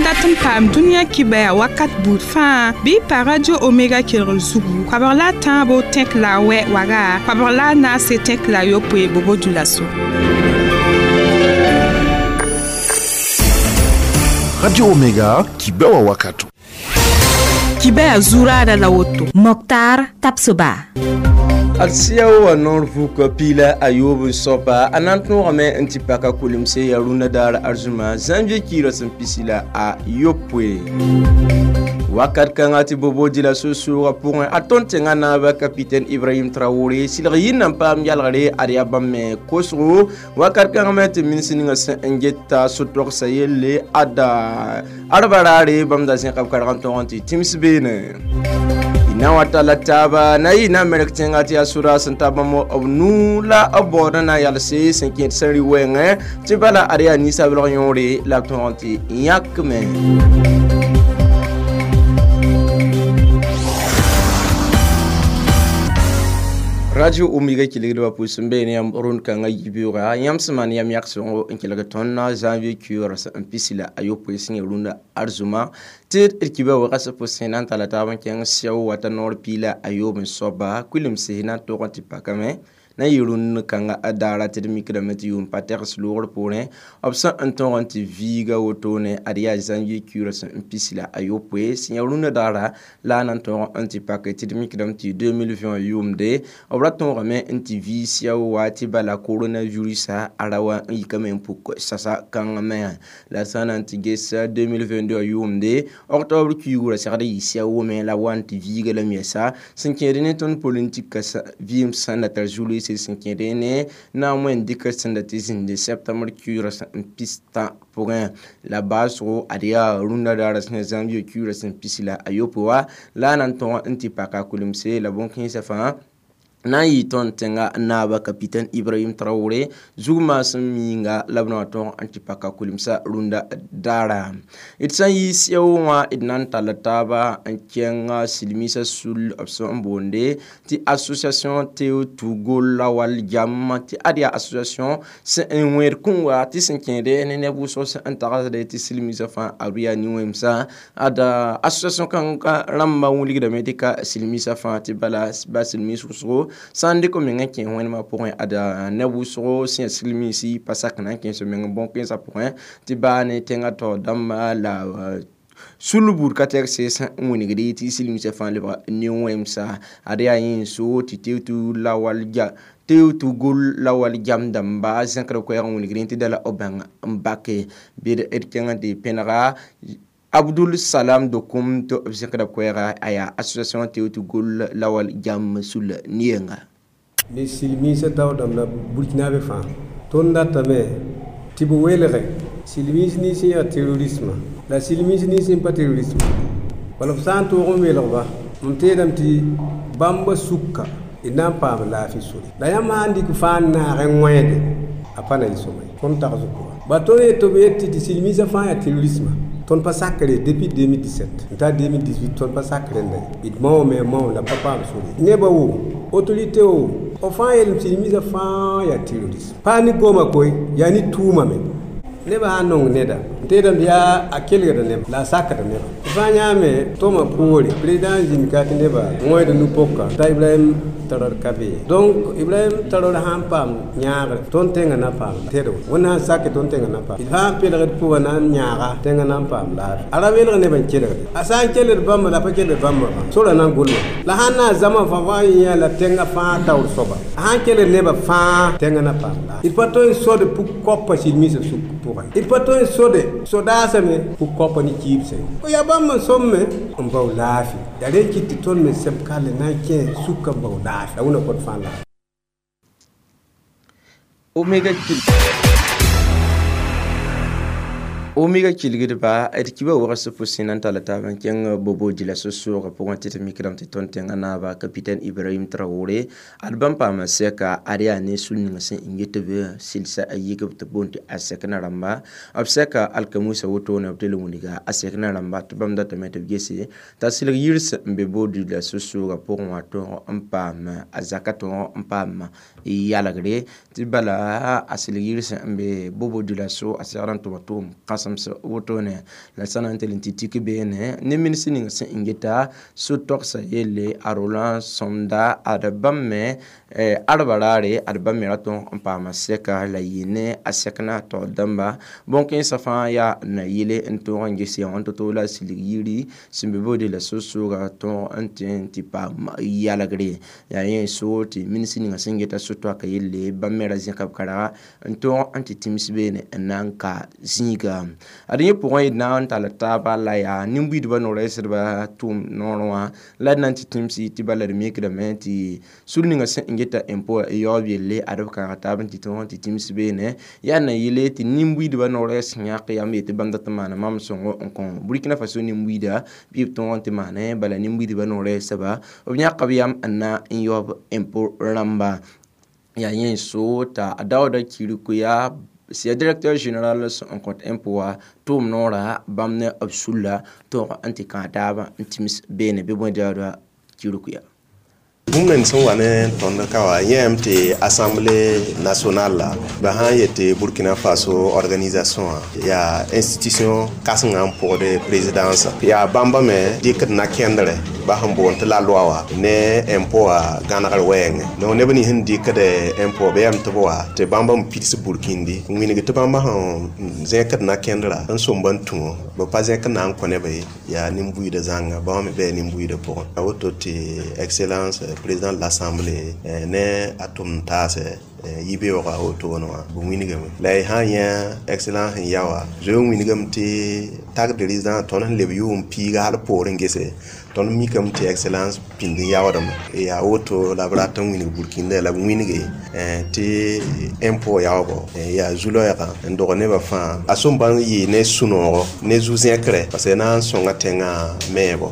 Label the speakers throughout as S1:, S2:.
S1: dat n paam dũniyã kibɛa wakat buud fãa bɩ y pa Radio Omega kelgr zugu koabg la a tãabo tẽk la a wɛ waga koabg la a naase tẽk la a yopoe bobo dulaso.
S2: Radio Omega kibɛwa wakato.
S1: Kibɛa zuraada la woto.
S3: Moktar Tapsoba.
S4: Ad sɩa wa noor vuk piila a yoob n soaba a na n tõogame n tɩ paka kulemse yaa rũndã daar arzũma zãnvie kiirã sẽn pisi la a yopoe wakat kãngã tɩ bobo dɩla so-soogã pʋgẽ a tõnd tẽngã naaba capitaine Ibrahim Traoré sɩlg yĩnda n paam yalgre ad yaa bãmb me kosgo wakat kãngã me tɩ minsi ninga sẽn n geta so-togsa yelle ada arba raare bãmb da zẽka b karg n tõg n tɩ tĩms beene na wa tala taaba na yɩ na merk tẽngã tɩ yaa sodaas n ta bãmb b nuu la b baoodã na n yalse sẽn kẽed sẽn rɩ wɛɛngẽ tɩ bala ad yaa ninsabelg yõore la b tõg n tɩ yãkme. Radio Omega kelgdbã pʋʋs n beene yãmb rũnd kãngã yibeoogã yãmb sẽn maan yam yag-sõngo n kelg tõnd janvier kioor sẽn pisi la a yopoe sẽn ya rũndã arzũma tɩ d kiba wɛga sẽn pʋsẽ na n tala taab n kẽng sɛo wata noor piila a yoob n soaba kuilemsẽ na n tog n tɩ pakame na n yɩ rũnd kãngã daara tɩ d mikdame tɩ yʋʋm pa tɛgs loogr poorẽ b sẽn n tõg n tɩ viiga wotone ad yaa janvier kioorã sẽn n pisi la a yopoe sẽn yaa rũndã daara la a na n tõog n tɩ pake tɩ d mikdame tɩ 2020 yʋʋmde b ra tõogame n tɩ vii sɛo wa tɩ bala coronavirus a ra wa n yikame n puk sasa kãngã me la sã n na n tɩ ges 2022 yʋʋmde octobre kiuugã ra segd n yɩ sɛo me la wa n tɩ viiga lame yɛsa sẽn kẽed ne tõnd politik vɩɩm sẽn da tar zulse sẽn kẽed ne na n wẽn dɩk sẽn da tɩ zĩndi septembre kiuurã sẽn pistã pʋgẽ la baasgo ad yaa rũndã daara sẽn janvier kiuurã sẽn pisi la a yopoe wa la a na n tõg n tɩ paka kulemse la bõn-kẽensã fãa na n yɩ tõnd tẽngã naaba capitaine Ibrahim Traoré zug maasem miinga la b na wa tõg n tɩ paka kulemsã rũndã daara d sã n yɩ sɛo wã d na n talla taaba n kẽng silmiisã sul b sẽn n boonde tɩ association Teo-Togo Lawal Jam tɩ ad yaa association sẽn n wẽed kũnga tɩ sẽn kẽede ne neb wʋsg sẽn n tagsde tɩ silmiisã fãa a yaa nin-wẽmsã ada association kãngã rãmbã wilgdame tɩ ka silmiisã fãa tɩ bala ba silmiis wʋsgo sã n dɩk meng n kẽ wẽnemã pʋgẽ ada neb wʋsgo sẽn yaa silmiisi pa sak na n kẽes meng bõn-kẽensã pʋgẽ tɩ baa ne tẽngã taoor dãmba la sul buud ka tɛk sẽn n wilgd tɩ silmiisã fãa lebg nin-wẽmsa ad yaa yẽ so tɩ Teo-Togo Lawal ja Teo-Togo Lawal Jam dãmba zẽkd koɛɛg n wilgd tɩ da la b bãng n bake bɩ d kẽng n tɩ pẽnega Abdul Salam Dokum tɩ b zẽkda koɛɛga a yaa association Teo-Togo Lawal Jam sul ne-yenga.
S5: Ni silmiisã taoodame la burkinabe fãa tõnd datame tɩ b welge silmiis nins n yaa terrorisme la silmiis nins n pa terrorisme bala b sã n toog n welgba mam teedame tɩ bãmba sʋka d na n paam laafɩ sore la yãmb sã n dɩk fãa n naag n wẽede a pa na yɩ sõma ye tõnd tags pʋga ba tõnd yet tɩ b yet tɩ silmiisã fãa yaa terrorisme tõnd pa sakre depuis 2017 n ta 2018 tõnd pa sakre rẽnda ye d maoome mao la pa paam sore nebã wo autorité wo b fãa yeelem silmiisã fãa yaa terrorisme pa ne goma koe yaa ne tʋʋma me nebã sã n nong neda n teedame tɩ yaa a kelgda neba la a sakda neba fãa yãame tõma poore président zĩnd ka tɩ neba wẽed nu-poka t'a Ibrahim Traoré ka be donc Ibrahim Traoré sã n paam yãagre tõnd tẽngã na paam tẽdgo wẽnd sã n sake tõnd tẽngã na paam d sã n pelgd pʋgã na n yãaga tẽngã na n paam laafɩ a ra welg neb n kelgde a sã n kelgd bãmba la a pa kelgd bãmba fãa sora na n gʋlma la sã n na n zãma fãa fãa yẽ la tẽngã fãa taoor soaba a sã n kelgd nebã fãa tẽngã na paam laafɩ d pa tõe n sod pʋg-koapa silmiisã sʋk pʋgẽ d pa tõe n sode sodaasame pʋg-koapa ne kiibsã ye yaa bãmb n sõmme n bao laafɩ yaa rẽ kɩt tɩ tõnd me sẽb kalle na n kẽ sʋka n bao laafɩ la wẽna kõt fãa laafɩ.
S4: Omega Omega kelgdba d kiba wags pʋsẽ na n talla taab n kẽng bobo dɩla so-soogã pʋgẽ tɩ d mikdame tɩ tõnd tẽngã naaba capitaine Ibrahim Traoré ad bãmb paama sɛka ad yaa ne sul ning sẽn n get b sɩlsa a yik b tɩ boond tɩ a sɛkna rãmba b sɛka alkamusa wotone b tɩ l wilga a sɛkna rãmba tɩ bãmb datame tɩ b gese t'a sɩlg yirs n be bo dɩla so-soogã pʋgẽ wã tõog n paam a zaka tõog n paam yalgre tɩ bala a sɩlg yirs n be bobo dɩla so a segd n tʋma tʋʋm kãsem. sẽms wotone la sã na n tɩ l tɩ tik beene ne ministr ning sẽn n geta so-togsã yelle a Roland Somda ad bãmb me arba raare ad bãmb me ra tõog n paama sɛka la yɩ ne a sɛkna taoor dãmba bõn-kẽensã fãa yaa na yele n tõog n ges yã wã to-to la silg yiri sẽn be boode la so-sooga tõog n tẽ n tɩ paam yalgre yaa yẽ soor tɩ ministr ninga sẽn geta so-toaka yelle bãmb me ra zẽka b karega n tõog n tɩ tĩms beene n na n ka zĩiga ad yẽ pʋgẽ d na n tall taaba la yaa nin-buiidbã no-rɛɛsdbã tʋʋm noorẽ wã la d na n tɩ tĩmsi tɩ bala d mikdame tɩ sũur ninga sẽn n geta impôt yaoob yelle ad b kãaga taab n tɩ tõog n tɩ tĩms beene yaa na yele tɩ nin-buiidbã no-rɛɛs yãk yam yetɩ bãmb dat n maana mam sõngo n kõ Burkina Faso nin-buiida bɩ b tõog n tɩ maane bala nin-buiidbã no-rɛɛsba b yãk b yam n na n yaoob impôt rãmba yaa yẽ so t'a Daouda Kirikou yaa directeur général sẽn kõt impôt wã tʋʋm noorã bãmb ne b sulla tõog n tɩ kãag taabã n tĩms beene bɩ bõe Daouda Kirikou yaa
S6: bũmb neng sẽn wa ne tõnd ka wa yẽem tɩ assemblée nationale la ba sã n yetɩ Burkina Faso organisation wã yaa institution kãsengã n pʋgd présidence yaa bãmba me dɩkd na-kẽndrɛ ba sẽn boond tɩ la loi wã ne impôt wã gãnegr wɛɛngẽ donc neb nins sẽn dɩkd impôt bɩ yam tɩ b wa tɩ bãmba n pids burkindi n wilg tɩ bãmba sẽn zẽkd na-kẽndrã n somba n tũ b pa zẽk n na n kõ neb ye yaa nin-buiidã zãnga bãmb me bɩ nin-buiidã pʋgẽ a woto tɩ excellence président de l'assemblée ne a tʋmd taasɛ yibeoogã wotone wã b wilgame la y sã n yã excellence sẽn ya wã zoe n wilgame tɩ taxe de résidence tõnd sẽn leb yʋʋm piiga hal poorẽ gese tõnd mikame tɩ excellence pĩnd n yaoodame yaa woto la b rat n wilg burkina la b wilge tɩ impôt yaoogo yaa zu-loɛɛgã n dog nebã fãa a sõm bãmb yɩ ne sũ-noogo ne zu-zẽkre parce que na n sõnga tẽngã meebo.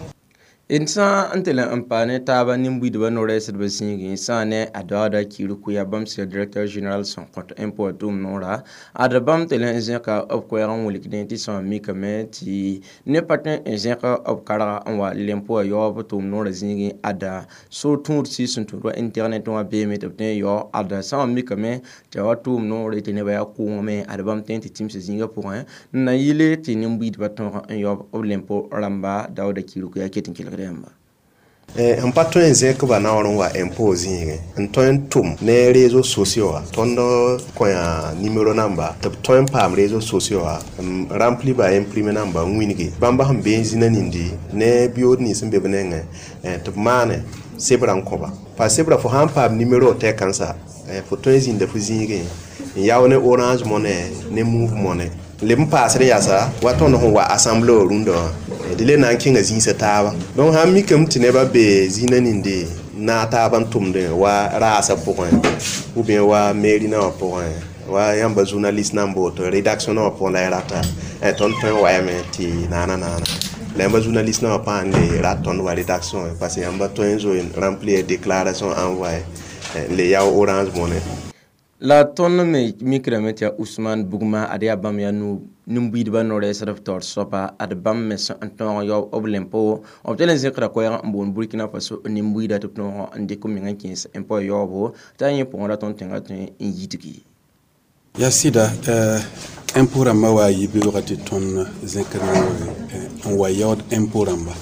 S4: D sã n tɩ le n pa ne taaba nin-buiidbã no-rɛɛsdbã zĩigẽ sã ne a Daouda Kirikou yaa bãmb sẽn directeur général sẽn kõt impôt tʋʋm noora ad bãmb tɩ le n zẽka b koɛɛg n wilgdẽ tɩ sã mikame tɩ neb pa tõe n zẽk b karga n wa lempo yaoob tʋʋm noorã zĩigẽ ada so tũud sɩs sẽn tũud wa internet wã beeme tɩ b tõe n yao ada sã n mikame tɩ wa tʋʋm noore tɩ nebã yaa kʋʋngame ad bãmb tõe n tɩ tĩmsa zĩigã pʋgẽ n na yɩle tɩ nin-buiidbã tõog n yaoob b lempo rãmba Daouda Kirikou yaa ket n kelgd yãmba.
S6: N pa tõe n zẽk ba naoor n wa impôt zĩigẽ n tõe n tʋm ne réseaux sociaux wã tõnd kõ-yã numéro namba tɩ b tõe n paam réseaux sociaux wã n rempli ba imprime namba n wilge bãmba sẽn be n zĩna nindi ne biyood nins sẽn be b nengẽ tɩ b maane sebra n kõba pa sebra fo sã n paam numéro tɛk-kãnsa fo tõe n zĩnda fo zĩigẽ n yao ne Orange Money ne Moov Money leb n paasd yasa wa tõnd sẽn wa assemblée wã rũndã wã d le na n kẽnga zĩisã taaba donc sã n mikame tɩ nebã be zĩnã ninde naag taab n tʋmdẽ wa raasã pʋgẽ ou bien wa mairie nã wã pʋgẽ wa yãmba journaliste nan boto rédaction nã wã pʋgẽ la y rata tõnd tõe n wayame tɩ naana naana la yãmba journaliste nã wã pãa n le rat tõnd wa rédaction parce que yãmba tõe n zoe remplir déclaration envoyé le yao Orange Money.
S4: La tõnd me mikrame tɩ yaa Usman Bugma ad yaa bãmb yaa nin-buiidbã no-rɛɛsd b taoor soaba ad bãmb me sẽn n tõog yao b lempo b tɩ le zẽkra koɛɛg n boond Burkina Faso nin-buiida tɩ b tõog n dɩk m meng n kẽes impôt yaoobo t'a yẽ pʋgẽ ra tõnd tẽngã tõe n yidgi.
S7: Ya sɩda impôt rãmbã wa yibeoogã tɩ tõnd zẽkd noore n wa yaood impôt rãmba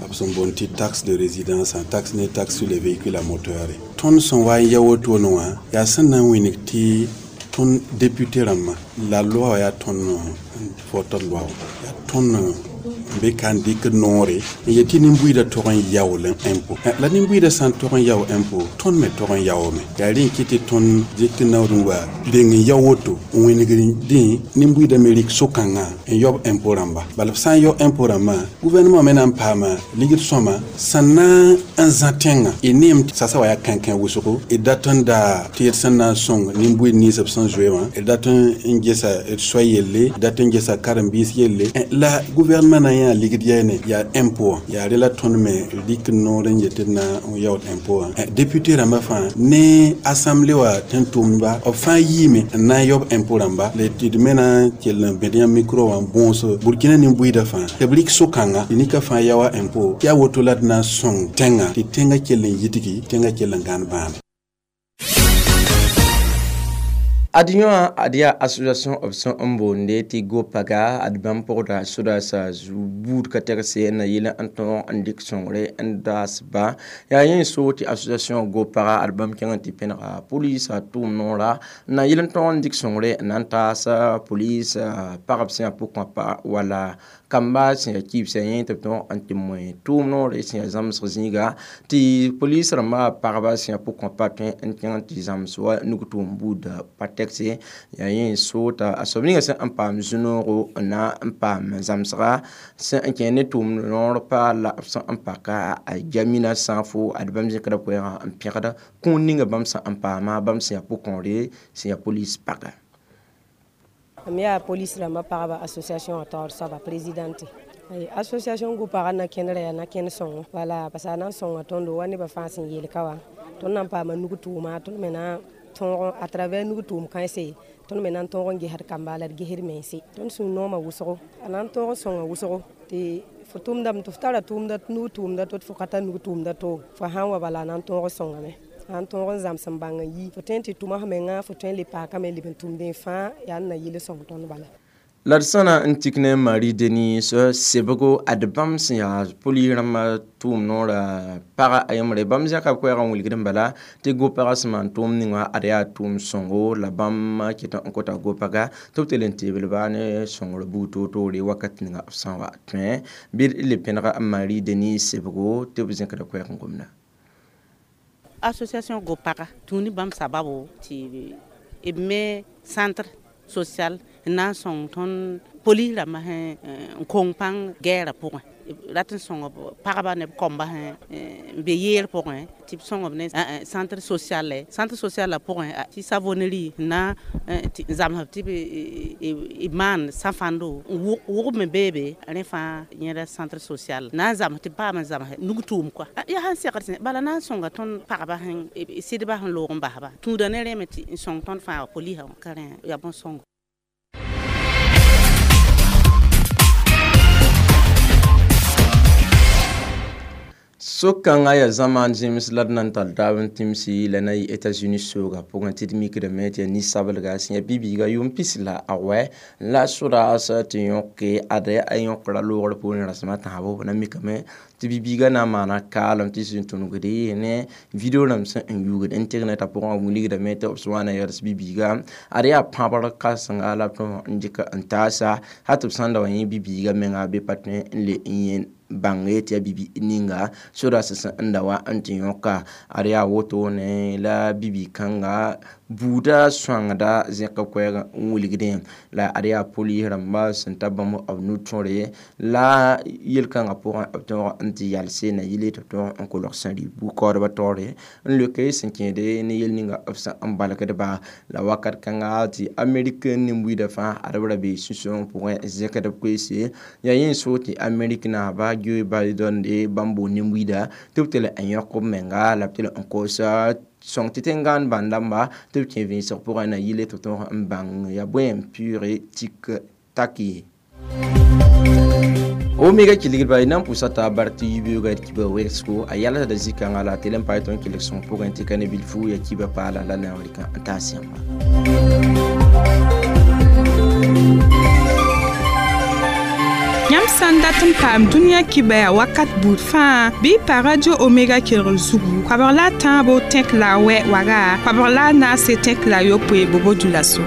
S7: b sẽn boond tɩ taxe de résidence, taxe ne taxe sur les véhicules à moteur. Tõnd sẽn wa n ya wotone wã yaa sẽn na n wilg tɩ tõnd député rãmbã la loi wã yaa tõnd fotd loi wã yaa tõnd n be ka n dɩk noore n yet tɩ nin-buiidã tog n yaool impôt la nin-buiidã sã n tog n yao impôt tõnd me tog n yaoome yaa rẽ n kɩt tɩ tõnd dɩk naood n wa reng n yao woto n wĩneg dẽ nin-buiidã me rɩk so-kãngã n yaob impôt rãmba bala b sã n yao impôt rãmbã gouvernement me na n paama ligd sõma sẽn na n zã tẽngã y neem sasa wa yaa kãnkẽ wʋsgo d dat n daa tɩ d sẽn na n sõng nin-buiid nins b sẽn zoe wã d dat n gesa d soa yelle d dat n gesa karen-biis yelle la gouvernement na yã ligd yɛɛne yaa impôt yaa re la tõnd me rɩk noor n yet d na n yaood impôt wã député rãmbã fãa ne assemblée wã tẽn tʋmdba b fãa yiime n na n yaob impôt rãmba la tɩ d me na n kell n bẽd yãmb micro wã n bõos Burkina nin-buiidã fãa tɩ b rɩk so-kãnga tɩ nika fãa yaoa impôt tɩ yaa woto la d na n sõng tẽngã tɩ tẽngã kell n yidgi tẽngã kell n gãan bãane.
S4: Ad yõ ad yaa association b sẽn n boonde tɩ gopaga ad bãmb pʋgda sodaasã buud ka tɛgse n na yɩl n tõog n dɩk sõngre n daasba yaa yẽ so tɩ association gopaga ad bãmb kẽng n tɩ pẽnega pʋlɩsã tʋʋm noora n na yɩl n tõog n dɩk sõngre n na n taas pʋlɩs pagb sẽn yaa pʋgkõapa wala kamba sẽn yaa kibsã yẽ tɩ b tõog n tɩ moe tʋʋm noore sẽn yaa zãmsg zĩiga tɩ pʋlɩs rãmbã pagba sẽn yaa pʋgkõapa tõe n kẽng n tɩ zãms wa nug-tʋʋm buudã pa tɛk yaa yẽ soota a soab ninga sẽn n paam zũ-noogo n na n paam zãmsga sẽn n kẽ ne tʋʋm noor pa la b sẽn n paka a jamina sãafo ad bãmb zẽkda koɛɛgã n pẽgda kũun ninga bãmb sẽn n paama bãmb sẽn yaa pʋgkõore sẽn yaa polis paga.
S8: Mam yaa polis rãmbã pagba association taoor soaba présidente. Association gopaga na kẽndra yaa na kẽnd sõngo wala parce a na n sõnga tõndo wa nebã fãa sẽn yeel ka wã tõnd na n paama nug-tʋʋma tõnd me na tõog à travers nug-tʋʋm kãense tõnd me na n tõog n gesd kamba la d gesd mense tõnd sũur noomã wʋsgo a na n tõog n sõnga wʋsgo tɩ fo tʋmdame tɩ f tara tʋʋmda nug-tʋʋmda to tɩ fo ka tar nug-tʋʋmda to fo sãn wa bala a na n tõog n sõngame a n tõog n zãms n bãng n yi fo tõe n tɩ tʋma f menga fo tõe n le paakame leb n tʋmdẽ fãa yaa n na yɩl sõng tõnd bala.
S4: La d sã na n tik ne Marie Denise sebgo ad bãmb sẽn yaa pʋlɩ rãmbã tʋʋm noorã paga a yembre bãmb zẽka koɛɛgã n wilgd n bala tɩ go-pagã sẽn maan tʋʋm ninga ad yaa tʋʋm sõngo la bãmb ket n kota go-paga tɩ b tɩ le n teebl-ba ne sõngr buud toor-toore wakat ninga b sã n wa tõe bɩ d le pẽnega Marie Denise sebgo tɩ b zẽkda koɛɛg n gomda.
S9: Association go-paga tũ ne bãmb sababo tɩ b me centre social n na n sõng tõnd polis rãmbã sẽn n kong pãng gɛɛrã pʋgẽ rat n sõng b pagba ne b kõmba sẽn n be yeer pʋgẽ tɩ b sõng b ne centre social centre social la pʋgẽ tɩ savonnerie n na n zãmsb tɩ b maan sã-fãndo wʋgb me beebe rẽ fãa yẽda centre social na n zãms tɩ b paam n zãms nug-tʋʋm koa yaa sẽn segd sẽ bala na n sõnga tõnd pagba sẽn sɩdba sẽn loog n basba tũuda ne rẽ me tɩ n sõng tõnd fãa polisã ka rẽ yaa bõn-sõngo.
S4: So-kãngã yaa zãmaan zẽms la d na n tall taab n tẽmsi la na yɩ États-Unis soogã pʋgẽ tɩ d mikdame tɩ yaa ninsabelga sẽn yaa bi-biiga yʋʋm pis la a wɛ la sodaas tɩ yõke ad a yõkra loogr poorẽ rasem a tãabo b na mikame tɩ bi-biiga na n maana kaalem tɩ sẽn tũnugde ne video rãmb sẽn n yuugd intɛrnɛtã pʋgẽ wilgdame tɩ b sẽn wa na yɛls bi-biiga ad yaa pãbr kãsenga la b tõog n dɩk n taasa hal tɩ b sãn da wa yẽ bi-biiga menga bɩ pa tõe n le n yẽ bãnge tɩ yaa bibi ninga sodaas sẽn n da wa n tɩ yõka ad yaa woto ne la bibi-kãnga buuda sõangda zẽk koɛɛg n wilgdẽ la ad yaa polis rãmba sẽn ta bãmb b nu-tõre la yel-kãngã pʋgẽ b tõog n tɩ yalse na yɩle tɩ b tõog n kolg sẽn rɩ bu-kaoodbã taoore n leoke sẽn kẽede ne yel ninga b sẽn n balgdba la wakat kãnga tɩ Amerik nin-buiidã fãa ad b ra bee sũ-sãoong pʋgẽ zẽkd b koeese yaa yẽ so tɩ Amerik naaba Joe Biden de bãmb boond nin-buiida tɩ b tɩ le n yõk b menga la b tɩ le n koos sõng tɩ tẽn-gãan bãn-dãmba tɩ b kẽ vẽensg pʋgẽ na yɩle tɩ b tõog n bãng yaa bõe n pʋʋge tik tak ye. Omega kilgdba y na n pʋsa t'a bar tɩ yibeoogã d kiba wegsgo a yalsda zĩ-kãngã la tɩ le n paam tõnd kelg sõng pʋgẽ tɩ ka ne bilfu ya kiba paala la na n rɩk n taas yãmba.
S1: Yãmb sã n dat n paam dũniyã kibɛa wakat buud fãa bɩ pa Radio Omega kelgr zugu koabg la a tãabo tẽk la a wɛ waga koabg la a naase tẽk la a yopoe bobo dulaso.